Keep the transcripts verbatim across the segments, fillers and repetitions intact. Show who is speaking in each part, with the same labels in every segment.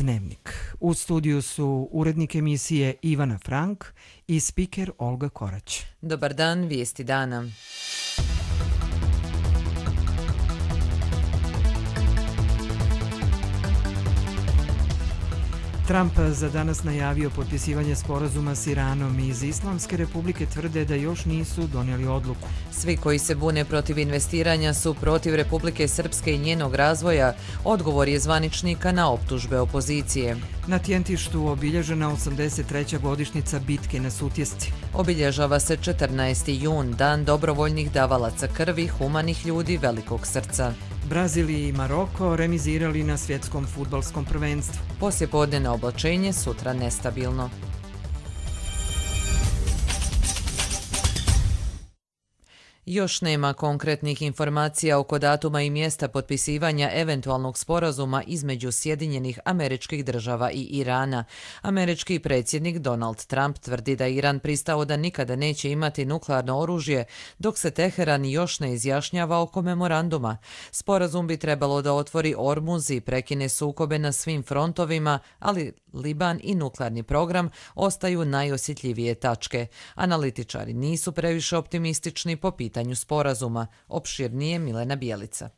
Speaker 1: Dnevnik. U studiju su urednik emisije Ivana Frank i spiker Olga Korać.
Speaker 2: Dobar dan, vijesti dana.
Speaker 1: Trump za danas najavio potpisivanje sporazuma s Iranom. Iz Islamske republike tvrde da još nisu donijeli odluku.
Speaker 2: Svi koji se bune protiv investiranja su protiv Republike Srpske i njenog razvoja, odgovor je zvaničnika na optužbe opozicije.
Speaker 1: Na Tjentištu obilježena osamdeset treća godišnjica bitke na Sutjesci.
Speaker 2: Obilježava se četrnaesti jun, dan dobrovoljnih davalaca krvi, humanih ljudi velikog srca.
Speaker 1: Brazil i Maroko remizirali na svjetskom fudbalskom prvenstvu.
Speaker 2: Poslijepodnevno oblačenje, sutra nestabilno. Još nema konkretnih informacija oko datuma i mjesta potpisivanja eventualnog sporazuma između Sjedinjenih Američkih Država i Irana. Američki predsjednik Donald Trump tvrdi da Iran pristao da nikada neće imati nuklearno oružje, dok se Teheran još ne izjašnjava oko memoranduma. Sporazum bi trebalo da otvori Ormuz i prekine sukobe na svim frontovima, ali Liban i nuklearni program ostaju najosjetljivije tačke. Analitičari nisu previše optimistični po pitanju sporazuma. Opširnije Milena Bijelica.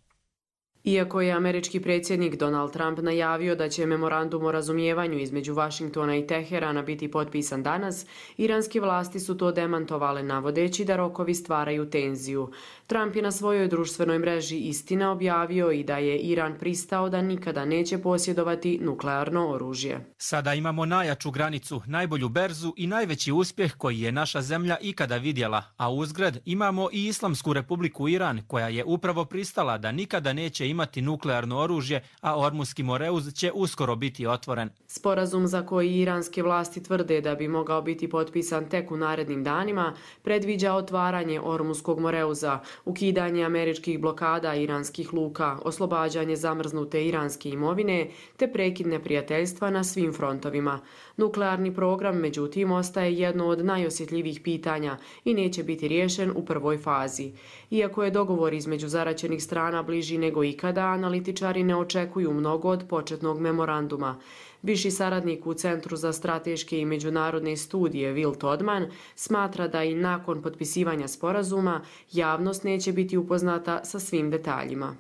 Speaker 3: Iako je američki predsjednik Donald Trump najavio da će memorandum o razumijevanju između Vašingtona i Teherana biti potpisan danas, iranske vlasti su to demantovale navodeći da rokovi stvaraju tenziju. Trump je na svojoj društvenoj mreži Istina objavio i da je Iran pristao da nikada neće posjedovati nuklearno oružje.
Speaker 4: Sada imamo najjaču granicu, najbolju berzu i najveći uspjeh koji je naša zemlja ikada vidjela, a uzgred imamo i Islamsku republiku Iran koja je upravo pristala da nikada neće imati nuklearno oružje, a Ormuzski moreuz će uskoro biti otvoren.
Speaker 3: Sporazum za koji iranske vlasti tvrde da bi mogao biti potpisan tek u narednim danima predviđa otvaranje Ormuzskog moreuza, ukidanje američkih blokada iranskih luka, oslobađanje zamrznute iranske imovine te prekid neprijateljstva na svim frontovima. Nuklearni program, međutim, ostaje jedno od najosjetljivijih pitanja i neće biti riješen u prvoj fazi. Iako je dogovor između zaraćenih strana bliži nego ikada, analitičari ne očekuju mnogo od početnog memoranduma. Viši saradnik u Centru za strateške i međunarodne studije Will Todman smatra da i nakon potpisivanja sporazuma javnost neće biti upoznata sa svim detaljima.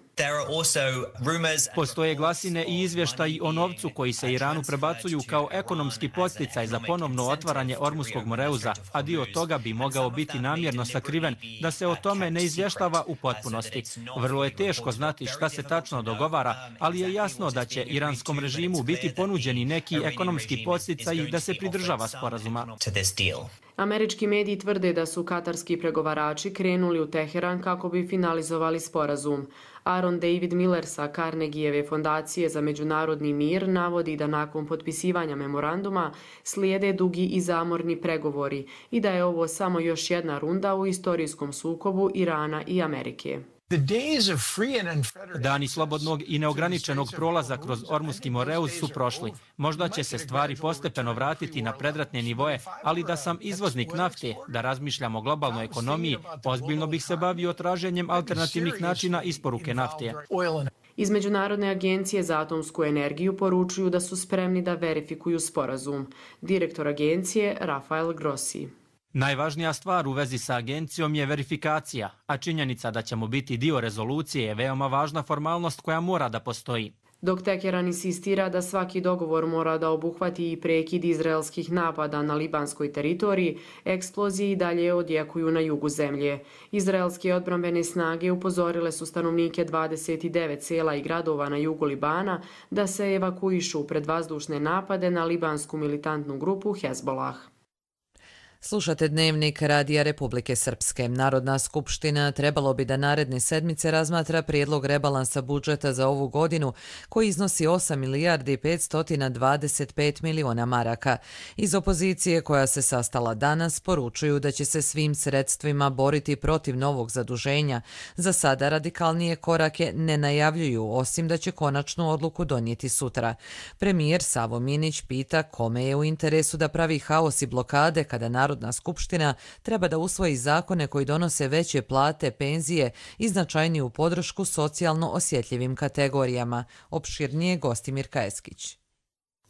Speaker 4: Postoje glasine i izvještaji o novcu koji se Iranu prebacuju kao ekonomski podsticaj za ponovno otvaranje Ormuzskog moreuza, a dio toga bi mogao biti namjerno sakriven da se o tome ne izvještava u potpunosti. Vrlo je teško znati šta se tačno dogovara, ali je jasno da će iranskom režimu biti ponuđeni neki ekonomski podsticaji da se pridržava sporazuma.
Speaker 3: Američki mediji tvrde da su katarski pregovarači krenuli u Teheran kako bi finalizovali sporazum. Aaron David Miller sa Carnegieve fondacije za međunarodni mir navodi da nakon potpisivanja memoranduma slijede dugi i zamorni pregovori i da je ovo samo još jedna runda u istorijskom sukobu Irana i Amerike.
Speaker 4: Dani slobodnog i neograničenog prolaza kroz Ormuzski moreuz su prošli. Možda će se stvari postepeno vratiti na predratne nivoe, ali da sam izvoznik nafte, da razmišljam o globalnoj ekonomiji, ozbiljno bih se bavio traženjem alternativnih načina isporuke nafte.
Speaker 3: Iz Međunarodne agencije za atomsku energiju poručuju da su spremni da verifikuju sporazum. Direktor agencije Rafael Grossi.
Speaker 4: Najvažnija stvar u vezi sa agencijom je verifikacija, a činjenica da ćemo biti dio rezolucije je veoma važna formalnost koja mora da postoji.
Speaker 3: Dok Teheran insistira da svaki dogovor mora da obuhvati i prekid izraelskih napada na libanskoj teritoriji, eksploziji dalje odjekuju na jugu zemlje. Izraelske odbrambene snage upozorile su stanovnike dvadeset devet sela i gradova na jugu Libana da se evakuišu pred vazdušne napade na libansku militantnu grupu Hezbollah.
Speaker 2: Slušate Dnevnik Radija Republike Srpske. Narodna skupština trebalo bi da naredne sedmice razmatra prijedlog rebalansa budžeta za ovu godinu koji iznosi osam milijardi petsto dvadeset pet miliona maraka. Iz opozicije koja se sastala danas poručuju da će se svim sredstvima boriti protiv novog zaduženja. Za sada radikalnije korake ne najavljuju, osim da će konačnu odluku donijeti sutra. Premijer Savo Minić pita kome je u interesu da pravi haos i blokade kada Narodna skupština treba da usvoji zakone koji donose veće plate, penzije i značajniju podršku socijalno osjetljivim kategorijama. Opširnije Gostimir Kajeskić.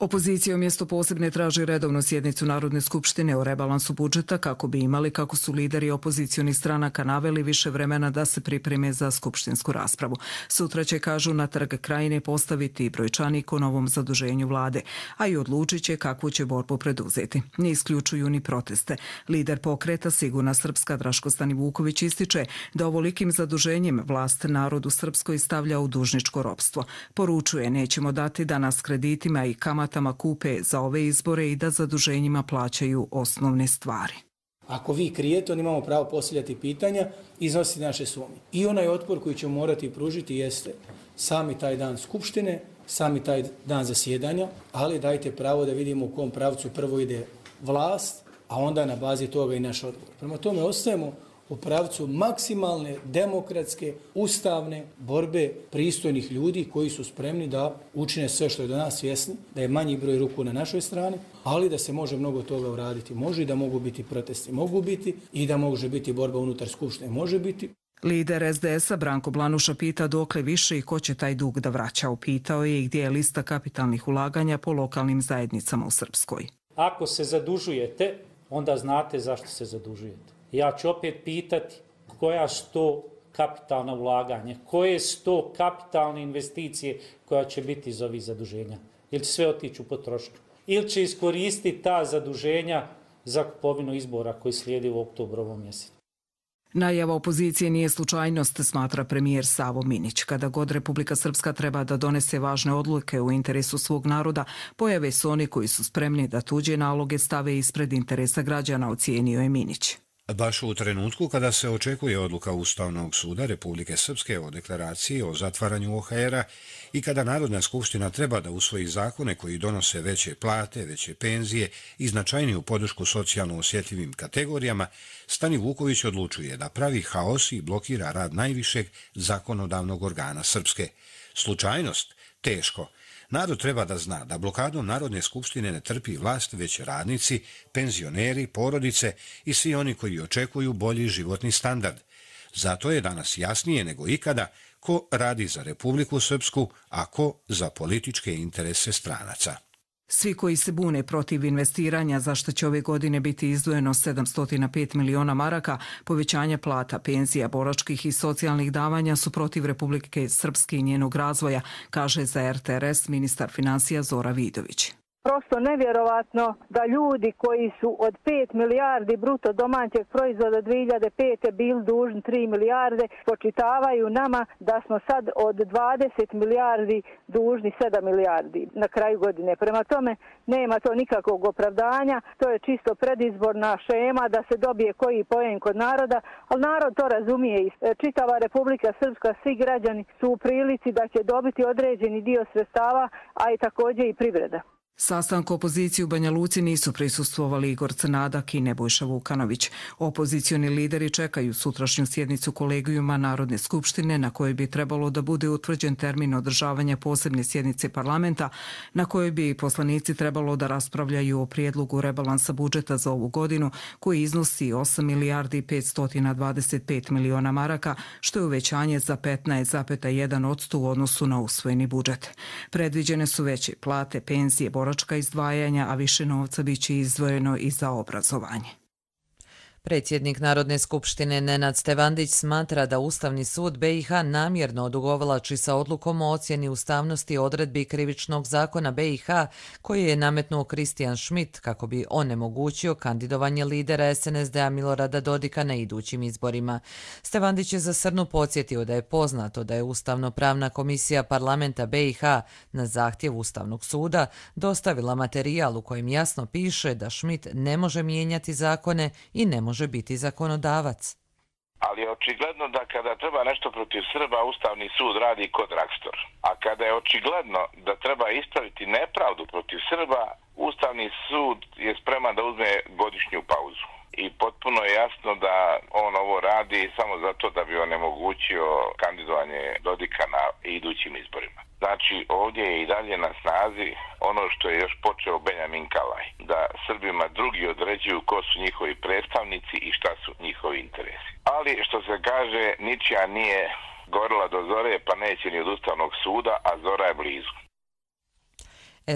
Speaker 5: Opozicija umjesto posebne traži redovnu sjednicu Narodne skupštine o rebalansu budžeta kako bi imali, kako su lideri opozicionih stranaka naveli, više vremena da se pripreme za skupštinsku raspravu. Sutra će, kažu, na Trg Krajine postaviti brojčanik o novom zaduženju vlade, a i odlučit će kakvu će borbu preduzeti. Ne isključuju ni proteste. Lider pokreta Sigurna Srpska Draško Stanivuković ističe da ovolikim zaduženjem vlast narodu Srpskoj stavlja u dužničko ropstvo. Poručuje, nećemo dati da nas kreditima i kamatama kupe za ove izbore i da zaduženjima plaćaju osnovne stvari.
Speaker 6: Ako vi krijete, on imamo pravo postavljati pitanja, iznositi naše sumnje. I onaj otpor koji ćemo morati pružiti jeste sami taj dan skupštine, sami taj dan zasjedanja, ali dajte pravo da vidimo u kom pravcu prvo ide vlast, a onda na bazi toga i naš odgovor. Prema tome ostajemo u pravcu maksimalne, demokratske, ustavne borbe pristojnih ljudi koji su spremni da učine sve što je do nas svjesni, da je manji broj ruku na našoj strani, ali da se može mnogo toga uraditi. Može i da mogu biti protesti, mogu biti i da može biti borba unutar skupštine, može biti.
Speaker 5: Lider es de es a Branko Blanuša pita dokle više i ko će taj dug da vraća. Upitao je i gdje je lista kapitalnih ulaganja po lokalnim zajednicama u Srpskoj.
Speaker 7: Ako se zadužujete, onda znate zašto se zadužujete. Ja ću opet pitati koja su to kapitalna ulaganja, koje su to kapitalne investicije koja će biti iz ovih zaduženja. Ili će sve otići u potrošnju. Ili će iskoristiti ta zaduženja za kupovinu izbora koji slijedi u oktobrovom mjesecu.
Speaker 5: Najava opozicije nije slučajnost, smatra premijer Savo Minić. Kada god Republika Srpska treba da donese važne odluke u interesu svog naroda, pojave su oni koji su spremni da tuđe naloge stave ispred interesa građana, ocijenio je Minić.
Speaker 8: Baš u trenutku kada se očekuje odluka Ustavnog suda Republike Srpske o deklaraciji o zatvaranju o ha era i kada Narodna skupština treba da usvoji zakone koji donose veće plate, veće penzije i značajniju podršku socijalno osjetljivim kategorijama, Stanivuković odlučuje da pravi haos i blokira rad najvišeg zakonodavnog organa Srpske. Slučajnost? Teško. Narod treba da zna da blokadom Narodne skupštine ne trpi vlast, već radnici, penzioneri, porodice i svi oni koji očekuju bolji životni standard. Zato je danas jasnije nego ikada ko radi za Republiku Srpsku, a ko za političke interese stranaca.
Speaker 5: Svi koji se bune protiv investiranja, za što će ove godine biti izdvojeno sedamsto pet miliona maraka, povećanja plata, penzija, boračkih i socijalnih davanja su protiv Republike Srpske i njenog razvoja, kaže za er te er es ministar finansija Zora Vidović.
Speaker 9: Prosto nevjerovatno da ljudi koji su od pet milijardi bruto domaćeg proizvoda dvije hiljade pete bili dužni tri milijarde, počitavaju nama da smo sad od dvadeset milijardi dužni sedam milijardi na kraju godine. Prema tome nema to nikakvog opravdanja, to je čisto predizborna šema da se dobije koji poen kod naroda, ali narod to razumije i čitava Republika Srpska, svi građani su u prilici da će dobiti određeni dio sredstava, a i također i privreda.
Speaker 5: Sastanku opozicije u Banja Luci nisu prisustvovali Igor Crnadak i Nebojša Vukanović. Opozicioni lideri čekaju sutrašnju sjednicu kolegijuma Narodne skupštine na kojoj bi trebalo da bude utvrđen termin održavanja posebne sjednice parlamenta na kojoj bi poslanici trebalo da raspravljaju o prijedlogu rebalansa budžeta za ovu godinu koji iznosi osam milijardi petsto dvadeset pet miliona maraka, što je uvećanje za petnaest zarez jedan posto u odnosu na usvojeni budžet. Predviđene su veće plate, penzije, boračka izdvajanja, a više novca biće izdvojeno i za obrazovanje.
Speaker 2: Predsjednik Narodne skupštine Nenad Stevandić smatra da Ustavni sud be i ha namjerno odugovlači sa odlukom o ocjeni ustavnosti odredbi krivičnog zakona be i ha koji je nametnuo Kristijan Schmidt kako bi onemogućio kandidovanje lidera es en es de a Milorada Dodika na idućim izborima. Stevandić je za Srnu podsjetio da je poznato da je Ustavno-pravna komisija parlamenta be i ha na zahtjev Ustavnog suda dostavila materijal u kojem jasno piše da Schmidt ne može mijenjati zakone i ne može može biti zakonodavac.
Speaker 10: Ali je očigledno da kada treba nešto protiv Srba, Ustavni sud radi kod Rakstor. A kada je očigledno da treba ispraviti nepravdu protiv Srba, Ustavni sud je spreman da uzme godišnju pauzu. I potpuno je jasno da on ovo radi samo zato da bi onemogućio kandidovanje Dodika na idućim izborima. Znači, ovdje je i dalje na snazi ono što je još počeo Benjamin Kalaj, da Srbima drugi određuju ko su njihovi predstavnici i šta su njihovi interesi. Ali, što se kaže, ničija nije gorila do zore, pa neće ni od Ustavnog suda, a zora je blizu.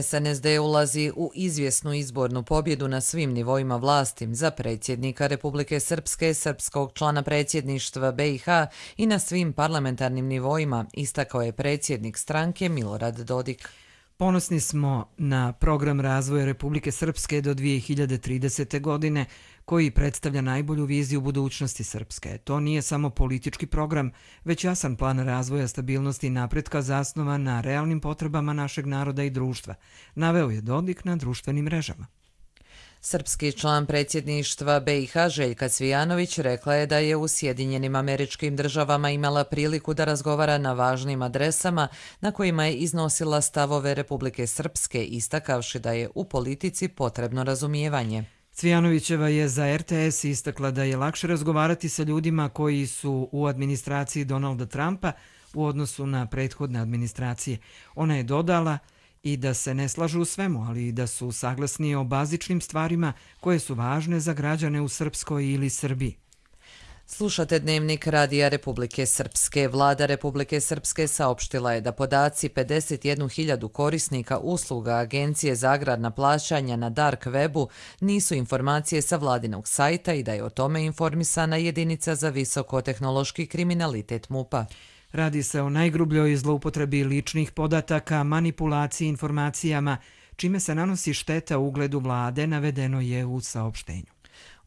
Speaker 2: S N S D ulazi u izvjesnu izbornu pobjedu na svim nivoima vlasti za predsjednika Republike Srpske, srpskog člana predsjedništva B i H i na svim parlamentarnim nivoima, istakao je predsjednik stranke Milorad Dodik.
Speaker 1: Ponosni smo na program razvoja Republike Srpske do dvije hiljade tridesete. godine, koji predstavlja najbolju viziju budućnosti Srpske. To nije samo politički program, već jasan plan razvoja, stabilnosti i napretka zasnovan na realnim potrebama našeg naroda i društva, naveo je Dodik na društvenim mrežama.
Speaker 2: Srpski član predsjedništva B i H Željka Cvijanović rekla je da je u Sjedinjenim Američkim Državama imala priliku da razgovara na važnim adresama na kojima je iznosila stavove Republike Srpske, istakavši da je u politici potrebno razumijevanje.
Speaker 1: Cvijanovićeva je za R T S istakla da je lakše razgovarati sa ljudima koji su u administraciji Donalda Trumpa u odnosu na prethodne administracije. Ona je dodala i da se ne slažu u svemu, ali i da su saglasni o bazičnim stvarima koje su važne za građane u Srpskoj ili Srbiji.
Speaker 2: Slušate Dnevnik Radija Republike Srpske. Vlada Republike Srpske saopštila je da podaci pedeset jednu hiljadu korisnika usluga Agencije za agrarna plaćanja na dark webu nisu informacije sa vladinog sajta i da je o tome informisana jedinica za visokotehnološki kriminalitet MUP-a.
Speaker 1: Radi se o najgrubljoj zloupotrebi ličnih podataka, manipulaciji informacijama, čime se nanosi šteta ugledu vlade, navedeno je u saopštenju.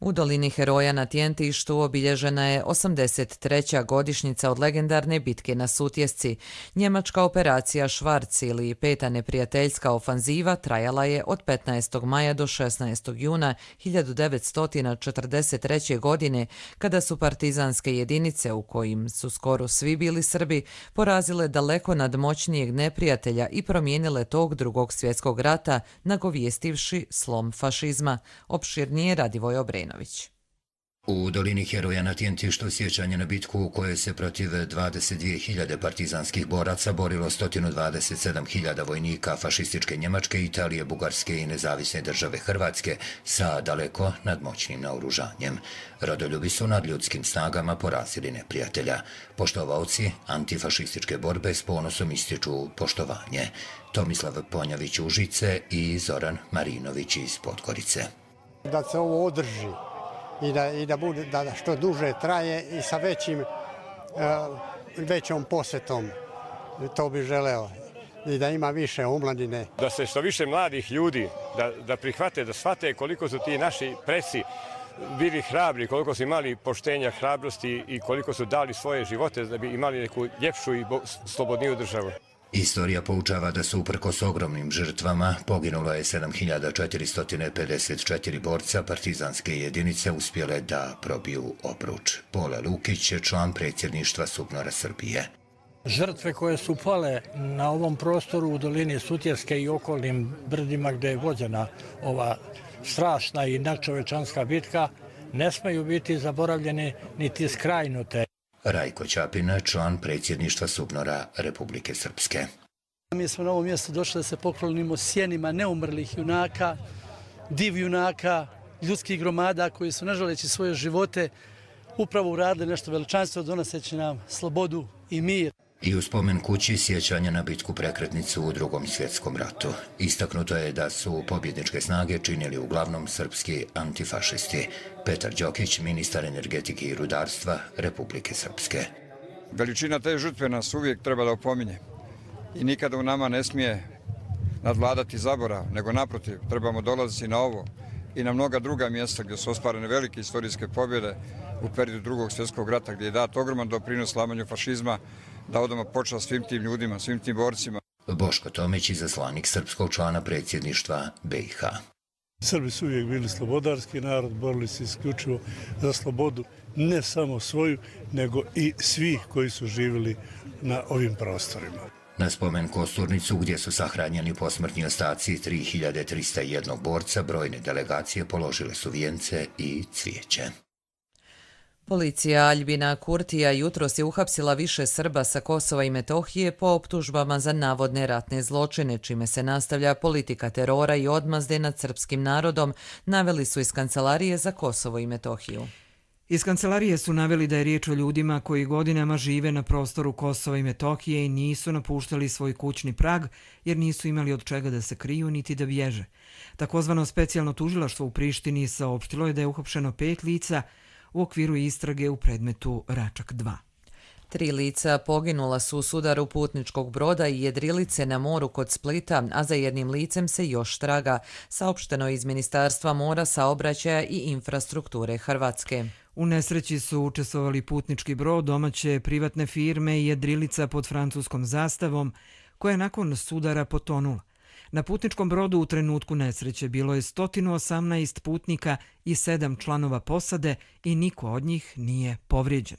Speaker 2: U dolini Heroja na Tjentištu obilježena je osamdeset treća godišnjica od legendarne bitke na Sutjesci. Njemačka operacija Švarc ili peta neprijateljska ofanziva trajala je od petnaestog maja do šesnaestog juna hiljadu devetsto četrdeset treće. godine, kada su partizanske jedinice, u kojim su skoro svi bili Srbi, porazile daleko nadmoćnijeg neprijatelja i promijenile tog drugog svjetskog rata, nagovjestivši slom fašizma. Opširnije Radivoj Obrenović.
Speaker 11: U dolini Heroja na Tjentištu sjećanje na bitku u kojoj se protiv dvadeset dvije hiljade partizanskih boraca borilo sto dvadeset sedam hiljada vojnika fašističke Njemačke, Italije, Bugarske i nezavisne države Hrvatske sa daleko nadmoćnim naoružanjem. Rodoljubi su nad ljudskim snagama porazili neprijatelja. Poštovaoci antifašističke borbe s ponosom ističu poštovanje. Tomislav Ponjavić Užice i Zoran Marinović iz Podgorice.
Speaker 12: Da se ovo održi i da, i da, bude, da što duže traje i sa većim, većom posjetom, to bi želeo. I da ima više omladine.
Speaker 13: Da se što više mladih ljudi, da, da prihvate, da shvate koliko su ti naši preci bili hrabri, koliko su imali poštenja, hrabrosti i koliko su dali svoje živote da bi imali neku ljepšu i slobodniju državu.
Speaker 11: Istorija poučava da su uprkos ogromnim žrtvama poginulo je sedam hiljada četiristo pedeset četiri borca, partizanske jedinice uspjele da probiju obruč. Pole Lukić je član predsjedništva SUBNOR-a Srbije.
Speaker 14: Žrtve koje su pale na ovom prostoru u dolini Sutjeske i okolnim brdima gdje je vođena ova strašna i nadčovečanska bitka ne smeju biti zaboravljene niti skrajnute.
Speaker 11: Rajko Ćapin, član predsjedništva SUBNOR-a Republike Srpske.
Speaker 15: Mi smo na ovom mjestu došli da se poklonimo sjenima neumrlih junaka, div junaka, ljudskih gromada koji su, ne želeći svoje živote, upravo uradili nešto veličanstveno, donoseći nam slobodu i mir.
Speaker 11: I u spomen kući sjećanja na bitku prekretnicu u Drugom svjetskom ratu. Istaknuto je da su pobjedničke snage činili uglavnom srpski antifašisti. Petar Đokić, ministar energetike i rudarstva Republike Srpske.
Speaker 16: Veličina te žrtve nas uvijek treba da opominje i nikada u nama ne smije nadvladati zaborav, nego naprotiv, trebamo dolaziti na ovo i na mnoga druga mjesta gdje su ostvarene velike istorijske pobjede u periodu Drugog svjetskog rata, gdje je dat ogroman doprinos slamanju fašizma, da odamo počast svim tim ljudima, svim tim borcima.
Speaker 11: Boško Tomić, izaslanik srpskog člana predsjedništva B i H.
Speaker 17: Srbi su uvijek bili slobodarski narod, borili se isključivo za slobodu, ne samo svoju, nego i svih koji su živjeli na ovim prostorima.
Speaker 11: Na spomen kosturnicu gdje su sahranjeni posmrtni ostaci tri hiljade trista jedan borca, brojne delegacije položile su vijence i cvijeće.
Speaker 2: Policija Aljbina Kurtija jutros je uhapsila više Srba sa Kosova i Metohije po optužbama za navodne ratne zločine, čime se nastavlja politika terora i odmazde nad srpskim narodom, naveli su iz Kancelarije za Kosovo i Metohiju.
Speaker 1: Iz kancelarije su naveli da je riječ o ljudima koji godinama žive na prostoru Kosova i Metohije i nisu napuštali svoj kućni prag jer nisu imali od čega da se kriju niti da bježe. Takozvano specijalno tužilaštvo u Prištini saopštilo je da je uhapšeno pet lica u okviru istrage u predmetu Račak dva.
Speaker 2: Tri lica poginula su u sudaru putničkog broda i jedrilice na moru kod Splita, a za jednim licem se još traga, saopšteno iz Ministarstva mora, saobraćaja i infrastrukture Hrvatske.
Speaker 1: U nesreći su učestvovali putnički brod, domaće privatne firme i jedrilica pod francuskom zastavom, koja je nakon sudara potonula. Na putničkom brodu u trenutku nesreće bilo je sto osamnaest putnika i sedam članova posade i niko od njih nije povrijeđen.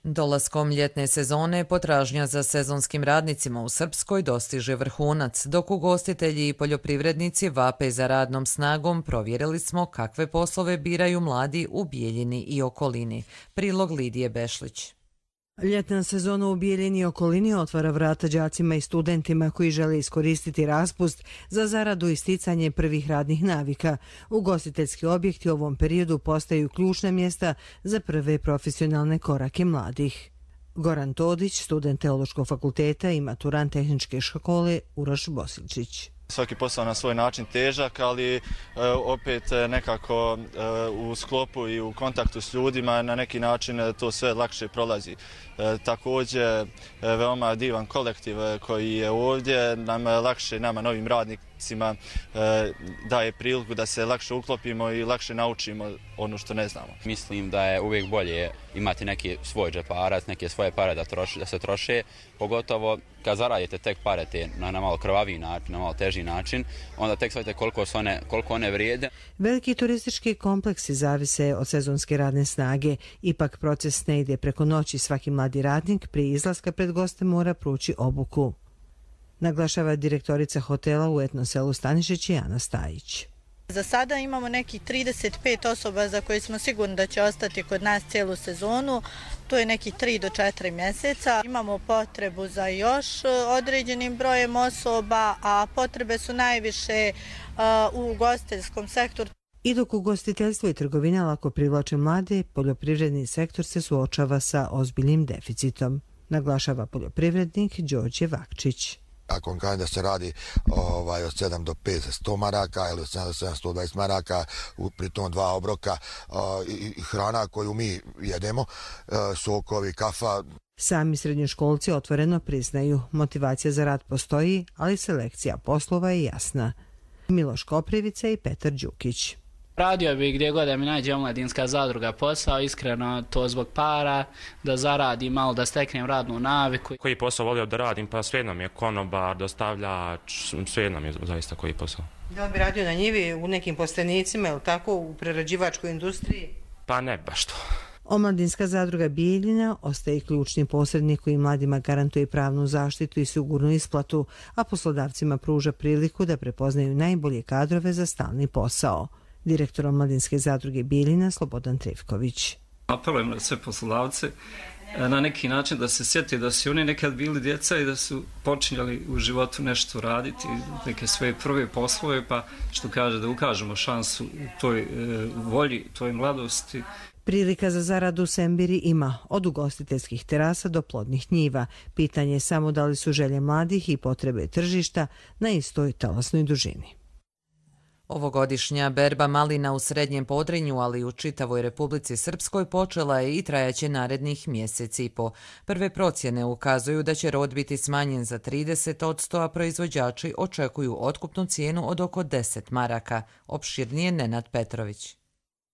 Speaker 2: Dolaskom ljetne sezone potražnja za sezonskim radnicima u Srpskoj dostiže vrhunac, dok ugostitelji i poljoprivrednici vape za radnom snagom. Provjerili smo kakve poslove biraju mladi u Bijeljini i okolini. Prilog Lidije Bešlić.
Speaker 18: Ljetna sezona u Bijeljini i okolini otvara vrata đacima i studentima koji žele iskoristiti raspust za zaradu i sticanje prvih radnih navika. Ugostiteljski objekti u ovom periodu postaju ključna mjesta za prve profesionalne korake mladih. Goran Todić, student Teološkog fakulteta i maturant tehničke škole Uroš Bosilčić.
Speaker 19: Svaki posao na svoj način težak, ali e, opet nekako e, u sklopu i u kontaktu s ljudima na neki način to sve lakše prolazi. E, također e, veoma divan kolektiv e, koji je ovdje, nam lakše, nama novim radnicima e, daje priliku da se lakše uklopimo i lakše naučimo ono što ne znamo.
Speaker 20: Mislim da je uvijek bolje imati neki svoj džeparac, neke svoje pare da, troši, da se troše, pogotovo kad zaradite tek pare te na, na malo krvaviji način, na malo teži način, onda tek shvatite koliko, one, koliko one vrijede.
Speaker 18: Veliki turistički kompleksi zavise od sezonske radne snage. Ipak proces ne ide preko noći. Svaki mladi radnik prije izlaska pred goste mora proći obuku. Naglašava direktorica hotela u etno selu Stanišić Ana Stajić.
Speaker 21: Za sada imamo nekih trideset pet osoba za koje smo sigurni da će ostati kod nas cijelu sezonu. To je nekih tri do četiri mjeseca. Imamo potrebu za još određenim brojem osoba, a potrebe su najviše uh, u ugostiteljskom sektoru.
Speaker 18: I dok ugostiteljstvo i trgovina lako privlače mlade, poljoprivredni sektor se suočava sa ozbiljnim deficitom, naglašava poljoprivrednik Đorđe Vakčić.
Speaker 22: Ako vam kažem da se radi ovaj, od sedam do petsto maraka ili od sedam do sedamsto dvadeset maraka, pritom dva obroka o, i hrana koju mi jedemo, o, sokovi, kafa.
Speaker 18: Sami srednjoškolci otvoreno priznaju, motivacija za rad postoji, ali selekcija poslova je jasna. Miloš Koprivica i Petar Đukić.
Speaker 23: Radio bi gdje god da mi nađe omladinska zadruga posao, iskreno to zbog para, da zaradim malo, da steknem radnu naviku.
Speaker 24: Koji posao volio da radim, pa svejedno mi je konobar, dostavljač, svejedno mi je zaista koji posao.
Speaker 25: Da li bi radio na njivi u nekim postenicima ili tako u prerađivačkoj industriji?
Speaker 24: Pa ne baš to.
Speaker 18: Omladinska zadruga Bijeljina ostaje ključni posrednik koji mladima garantuje pravnu zaštitu i sigurnu isplatu, a poslodavcima pruža priliku da prepoznaju najbolje kadrove za stalni posao. Direktor Omladinske zadruge Bijeljina Slobodan Trivković.
Speaker 26: Apelujem na sve poslodavce na neki način da se sjeti da su oni nekad bili djeca i da su počinjali u životu nešto raditi, neke svoje prve poslove, pa što kaže da ukažemo šansu toj e, volji, toj mladosti.
Speaker 18: Prilika za zaradu u Sembiri ima, od ugostiteljskih terasa do plodnih njiva. Pitanje je samo da li su želje mladih i potrebe tržišta na istoj talasnoj dužini.
Speaker 2: Ovogodišnja berba malina u Srednjem Podrinju, ali i u čitavoj Republici Srpskoj počela je i trajaće narednih mjeseci i po. Prve procjene ukazuju da će rod biti smanjen za trideset posto, a proizvođači očekuju otkupnu cijenu od oko deset maraka. Opširnije Nenad Petrović.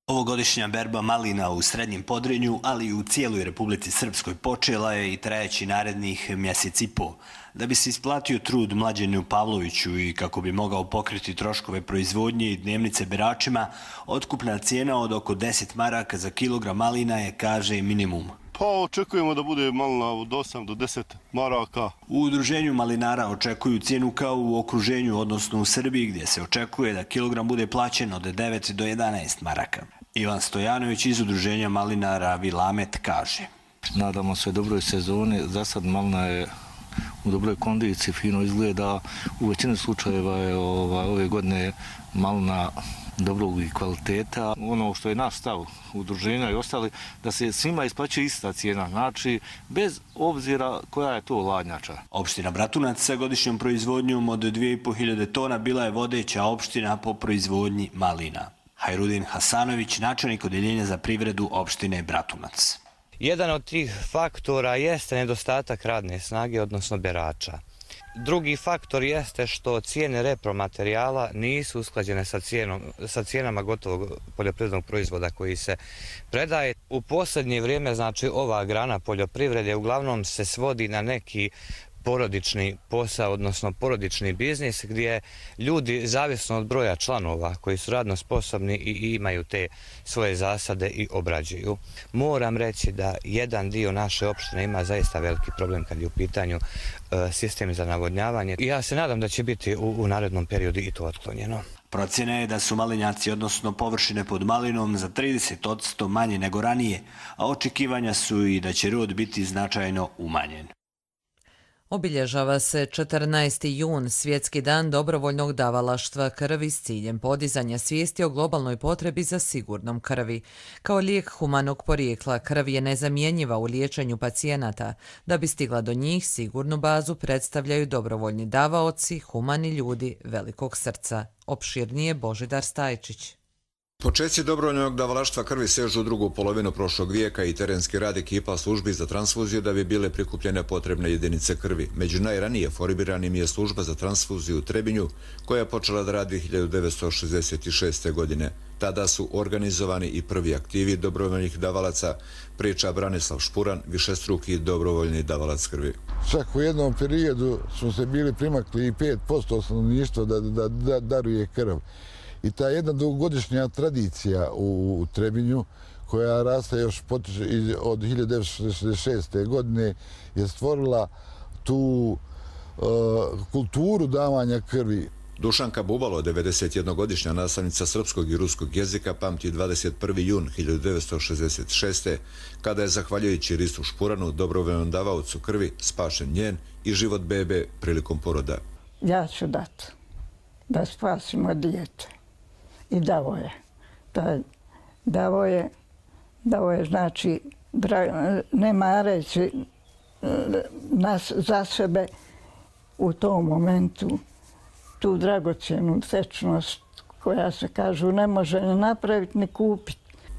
Speaker 27: Ovogodišnja berba malina u Srednjem Podrinju, ali i u cijeloj Republici Srpskoj počela je i trajeći narednih mjesec i po. Da bi se isplatio trud Mlađenu Pavloviću i kako bi mogao pokriti troškove proizvodnje i dnevnice beračima, otkupna cijena od oko deset maraka za kilogram malina je, kaže, minimum.
Speaker 28: Pa očekujemo da bude malina od osam do deset maraka.
Speaker 27: U udruženju malinara očekuju cijenu kao u okruženju, odnosno u Srbiji, gdje se očekuje da kilogram bude plaćen od devet do jedanaest maraka. Ivan Stojanović iz udruženja malinara Vilamet kaže.
Speaker 29: Nadamo se dobroj sezoni. Za sad malina je
Speaker 3: u dobroj kondiciji, fino izgleda. U većini slučajeva je ova, ove godine malina dobrog i kvaliteta. Ono što je naš stav udruženja i ostali, da se svima isplaćuje ista cijena, znači bez obzira koja je to ladnjača.
Speaker 27: Opština Bratunac sa godišnjom proizvodnjom od dvije i pol hiljade tona bila je vodeća opština po proizvodnji malina. Hajrudin Hasanović, načelnik odeljenja za privredu opštine Bratunac.
Speaker 4: Jedan od tih faktora jeste nedostatak radne snage, odnosno berača. Drugi faktor jeste što cijene repromaterijala nisu usklađene sa, cijenom, sa cijenama gotovog poljoprivrednog proizvoda koji se predaje. U posljednje vrijeme, znači, ova grana poljoprivrede uglavnom se svodi na neki porodični posao, odnosno porodični biznis, gdje ljudi, zavisno od broja članova koji su radno sposobni i imaju te svoje zasade i obrađuju. Moram reći da jedan dio naše opštine ima zaista veliki problem kad je u pitanju e, sistem za navodnjavanje. I ja se nadam da će biti u, u narednom periodu i to otklonjeno.
Speaker 27: Procjena je da su malinjaci, odnosno površine pod malinom, za trideset posto manje nego ranije, a očekivanja su i da će rod biti značajno umanjen.
Speaker 2: Obilježava se četrnaesti jun, Svjetski dan dobrovoljnog davalaštva krvi s ciljem podizanja svijesti o globalnoj potrebi za sigurnom krvi. Kao lijek humanog porijekla, krv je nezamjenjiva u liječenju pacijenata. Da bi stigla do njih, sigurnu bazu predstavljaju dobrovoljni davaoci, humani ljudi velikog srca. Opširnije Božidar Stajčić.
Speaker 5: Početci dobrovoljnog davalaštva krvi sežu u drugu polovinu prošlog vijeka i terenski rad ekipa službi za transfuziju da bi bile prikupljene potrebne jedinice krvi. Među najranije formiranim je služba za transfuziju u Trebinju, koja je počela da radi hiljadu devetsto šezdeset šeste. godine. Tada su organizovani i prvi aktivi dobrovoljnih davalaca, priča Branislav Špuran, višestruki dobrovoljni davalac krvi.
Speaker 6: Čak u jednom periodu smo se bili primakli i pet posto stanovništva da, da, da daruje krv. I ta jedna dugogodišnja tradicija u, u Trebinju, koja raste još potiče od hiljadu devetsto šezdeset šeste. godine, je stvorila tu uh, kulturu davanja krvi.
Speaker 5: Dušanka Bubalo, devedesetjednogodišnja nastavnica srpskog i ruskog jezika, pamti dvadeset prvi jun hiljadu devetsto šezdeset šeste. kada je, zahvaljujući Ristu Špuranu, dobrovoljnom davaocu krvi, spašen njen i život bebe prilikom poroda.
Speaker 7: Ja ću dati da spasimo dijete. I davo je. Davo je, davo je, znači, nema reći nas za sebe u tom momentu, tu dragocjenu sečnost koja se, kažu, ne može ni napraviti ni kupiti.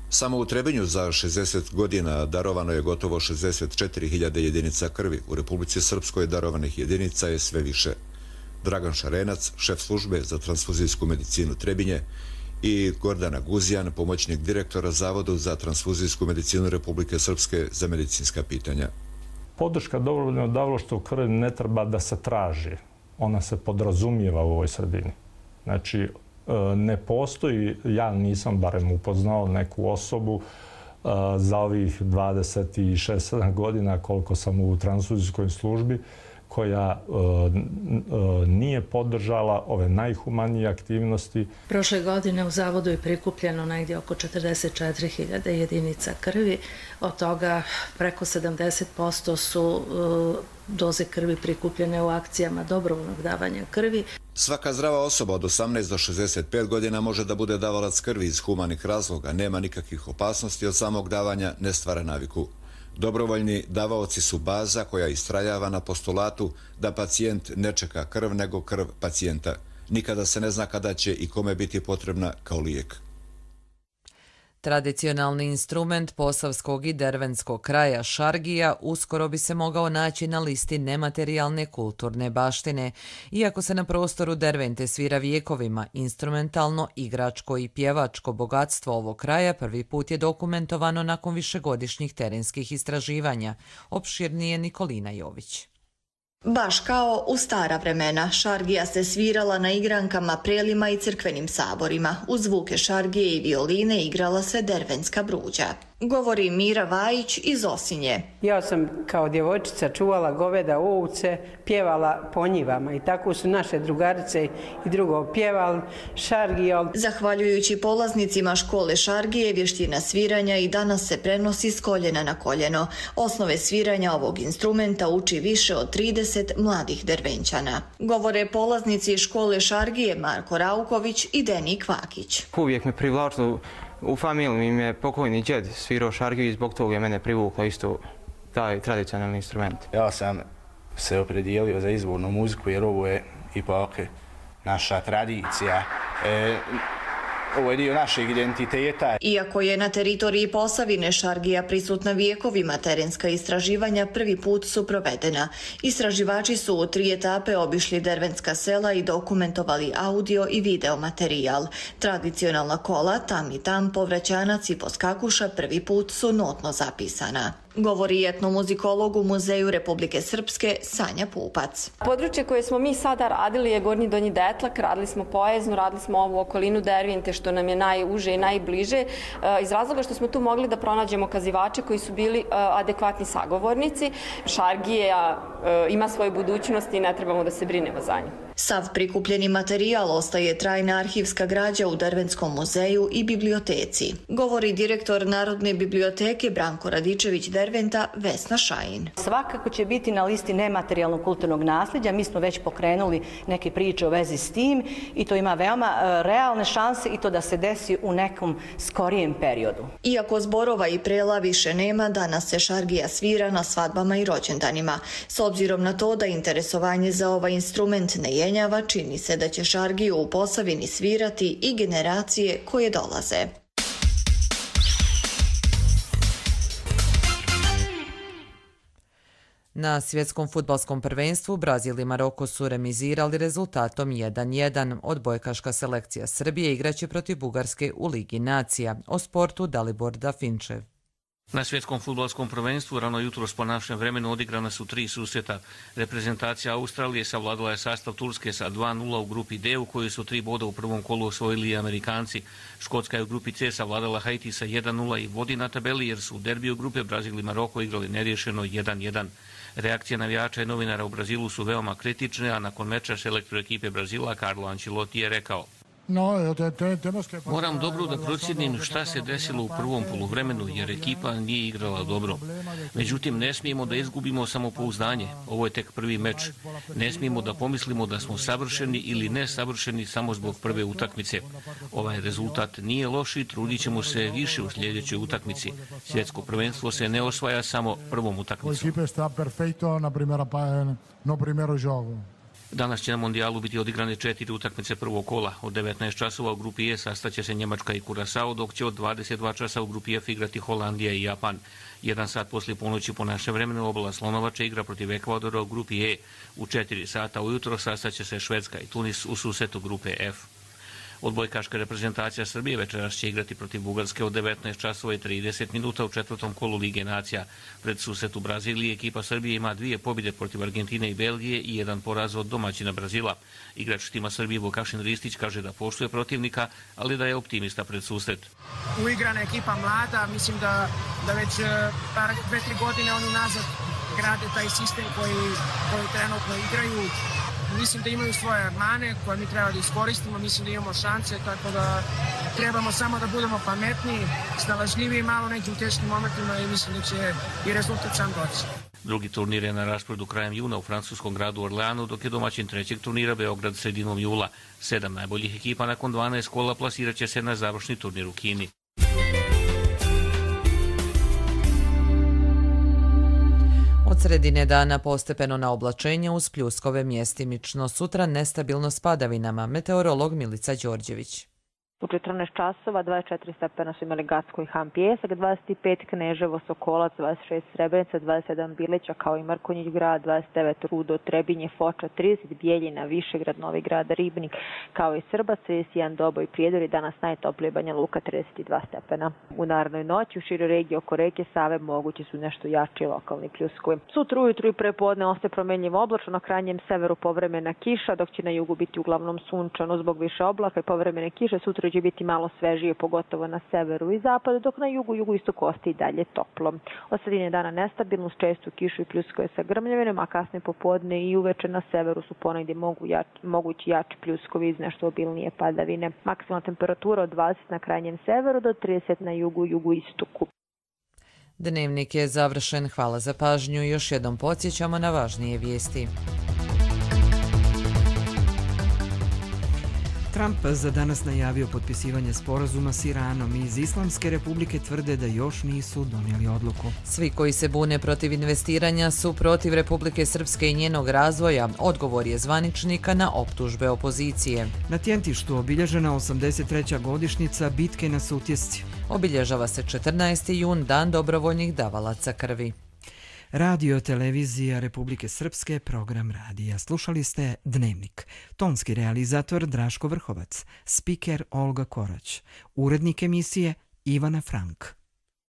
Speaker 5: Samo u Trebinju za šezdeset godina darovano je gotovo šezdeset četiri hiljade jedinica krvi. U Republici Srpskoj darovanih jedinica je sve više. Dragan Šarenac, šef službe za transfuzijsku medicinu Trebinje, i Gordana Guzijan, pomoćnik direktora Zavodu za transfuzijsku medicinu Republike Srpske za medicinska pitanja.
Speaker 8: Podrška dobrovoljnog davalaštva krvi ne treba da se traži. Ona se podrazumijeva u ovoj sredini. Znači, ne postoji, ja nisam barem upoznao neku osobu za ovih dvadeset šest godina koliko sam u transfuzijskoj službi, koja e, e, nije podržala ove najhumanije aktivnosti.
Speaker 9: Prošle godine u Zavodu je prikupljeno negdje oko četrdeset četiri hiljade jedinica krvi. Od toga preko sedamdeset posto su e, doze krvi prikupljene u akcijama dobrovoljnog davanja krvi.
Speaker 5: Svaka zdrava osoba od osamnaest do šezdeset pet godina može da bude davalac krvi iz humanih razloga. Nema nikakvih opasnosti od samog davanja, ne stvara naviku. Dobrovoljni davaoci su baza koja istrajava na postulatu da pacijent ne čeka krv nego krv pacijenta. Nikada se ne zna kada će i kome biti potrebna kao lijek.
Speaker 2: Tradicionalni instrument posavskog i dervenskog kraja šargija uskoro bi se mogao naći na listi nematerijalne kulturne baštine. Iako se na prostoru Dervente svira vijekovima, instrumentalno, igračko i pjevačko bogatstvo ovog kraja prvi put je dokumentovano nakon višegodišnjih terenskih istraživanja. Opširnije Nikolina Jović.
Speaker 10: Baš kao u stara vremena, šargija se svirala na igrankama, prelima i crkvenim saborima. Uz zvuke šargije i violine igrala se dervenska bruđa. govori Mira Vajić iz Osinje.
Speaker 1: Ja sam kao djevojčica čuvala goveda, ovce, pjevala po njivama i tako su naše drugarice i drugo pjevali šargija.
Speaker 10: Zahvaljujući polaznicima škole šargije, vještina sviranja i danas se prenosi s koljena na koljeno. Osnove sviranja ovog instrumenta uči više od trideset mladih Dervenčana. Govore polaznici škole šargije Marko Rauković i Deni Kvakić.
Speaker 11: Uvijek me privlačilo, u familiji mi je pokojni džed svirao šargiju i zbog toga je mene privuklo isto taj tradicionalni instrument.
Speaker 12: Ja sam se opredijelio za izvornu muziku jer ovo je ipak naša tradicija. E, Ovo je dio našeg identiteta.
Speaker 10: Iako je na teritoriji Posavine šargija prisutna vijekovima, terenska istraživanja prvi put su provedena. Istraživači su u tri etape obišli dervenska sela i dokumentovali audio i video materijal. Tradicionalna kola, tam i tam, povraćanac i poskakuša prvi put su notno zapisana. Govori etnomuzikolog u Muzeju Republike Srpske Sanja Pupac.
Speaker 13: Područje koje smo mi sada radili je Gornji Donji Detlak, radili smo Pojeznu, radili smo ovu okolinu Dervinte što nam je najuže i najbliže, iz razloga što smo tu mogli da pronađemo kazivače koji su bili adekvatni sagovornici. Šargija ima svoju budućnost i ne trebamo da se brinemo za nju.
Speaker 10: Sav prikupljeni materijal ostaje trajna arhivska građa u Dervenskom muzeju i biblioteci. Govori direktor Narodne biblioteke Branko Radičević Derventa Vesna Šajin.
Speaker 14: Svakako će biti na listi nematerijalnog kulturnog nasljeđa. Mi smo već pokrenuli neke priče u vezi s tim i to ima veoma realne šanse i to da se desi u nekom skorijem periodu.
Speaker 10: Iako zborova i prela više nema, danas se šargija svira na svadbama i rođendanima. S obzirom na to da interesovanje za ovaj instrument ne jenjava, čini se da će šargiju u Posavini svirati i generacije koje dolaze.
Speaker 2: Na svjetskom fudbalskom prvenstvu Brazil i Maroko su remizirali rezultatom jedan jedan. Odbojkaška selekcija Srbije igraće protiv Bugarske u Ligi nacija. O sportu Dalibor Dafinčev.
Speaker 15: Na svjetskom fudbalskom prvenstvu rano jutros po našem vremenu odigrana su tri susreta. Reprezentacija Australije savladala je sastav Turske sa dva nula u grupi D, u kojoj su tri boda u prvom kolu osvojili i Amerikanci. Škotska je u grupi C savladala Haiti sa jedan nula i vodi na tabeli jer su u derbiju grupe Brazil i Maroko igrali neriješeno jedan jedan. Reakcije navijača i novinara u Brazilu su veoma kritične, a nakon meča selektor ekipe Brazila Carlo Ancelotti je rekao: Moram dobro da procjenim šta se desilo u prvom poluvremenu, jer ekipa nije igrala dobro. Međutim, ne smijemo da izgubimo samopouzdanje. Ovo je tek prvi meč. Ne smijemo da pomislimo da smo savršeni ili nesavršeni samo zbog prve utakmice. Ovaj rezultat nije loš i trudit ćemo se više u sljedećoj utakmici. Svjetsko prvenstvo se ne osvaja samo prvom utakmicom. Danas će na mondijalu biti odigrane četiri utakmice prvog kola. Od devetnaest časova u grupi E sastaće se Njemačka i Kurasao, dok će od dvadeset dva časa u grupi F igrati Holandija i Japan. Jedan sat poslije ponoći po našem vremenu Obala Slonovača igra protiv Ekvadora u grupi E. U četiri sata ujutro sastaće se Švedska i Tunis u susretu grupe F. Odbojkaška reprezentacija Srbije večeras će igrati protiv Bugarske od devetnaest časova i trideset minuta u četvrtom kolu Lige nacija. Pred susret u Braziliji ekipa Srbije ima dvije pobjede protiv Argentine i Belgije i jedan poraz od domaćina Brazila. Igrač tima Srbije Vukašin Ristić kaže da poštuje protivnika, ali da je optimista pred susret.
Speaker 16: Uigrana ekipa mlada, mislim da, da već dve, tri godine oni nazad grade taj sistem koji, koji trenutno igraju. Mislim da imaju svoje mane koje mi treba da iskoristimo, mislim da imamo šanse, tako da trebamo samo da budemo pametniji, snalažljiviji malo nekim u teškim momentima i mislim da će i rezultat sam doći.
Speaker 15: Drugi turnir je na rasporedu krajem juna u francuskom gradu Orleanu, dok je domaćin trećeg turnira Beograd sredinom jula. Sedam najboljih ekipa nakon dvanaest kola plasirat će se na završni turnir u Kini.
Speaker 2: Od sredine dana postepeno na oblačenje uz pljuskove mjestimično. Sutra nestabilno s padavinama. Meteorolog Milica Đorđević.
Speaker 17: U četrnaest časova dvadeset četiri stepena su imali Gacko i Han Pijesak, dvadeset pet Kneževo, Sokolac, dvadeset šest Srebrenica, dvadeset sedam Bilića kao i Mrkonjić grad, dvadeset devet Rudo, Trebinje, Foča, trideset Bijeljina, Višegrad, Novi grad, Ribnik kao i Srbac, trideset jedan Doboj, Prijedor i danas najtoplije Banja Luka trideset dva stepena. U narednoj noći u široj regiji oko reke Save mogući su nešto jači lokalni pljuskovi. Sutra ujutru i prepodne ostaje promenljivo oblačno, na krajnjem severu povremena kiša, dok će na jugu biti uglavnom sunčano zbog više oblaka i povremene kiše. Sutra će biti malo svežije, pogotovo na severu i zapadu, dok na jugu, jugoistoku ostaje i dalje toplo. Od sredine dana nestabilno, s čestu kišu i pljuskove sa grmljavinom, a kasne popodne i uveče na severu su ponegdje mogu jač, mogući jači pljuskovi iz nešto obilnije padavine. Maksimalna temperatura od dvadeset na krajnjem severu do trideset na jugu, jugoistoku.
Speaker 2: Dnevnik je završen. Hvala za pažnju i još jednom podsjećamo na važnije vijesti.
Speaker 19: Trump za danas najavio potpisivanje sporazuma s Iranom i iz Islamske republike tvrde da još nisu donijeli odluku.
Speaker 2: Svi koji se bune protiv investiranja su protiv Republike Srpske i njenog razvoja, odgovor je zvaničnika na optužbe opozicije.
Speaker 19: Na Tjentištu obilježena osamdeset treća godišnjica bitke na Sutjesci.
Speaker 2: Obilježava se četrnaesti jun, dan dobrovoljnih davalaca krvi.
Speaker 19: Radio televizija Republike Srpske, program radija. Slušali ste Dnevnik. Tonski realizator Draško Vrhovac, spiker Olga Korać, urednik emisije Ivana Frank.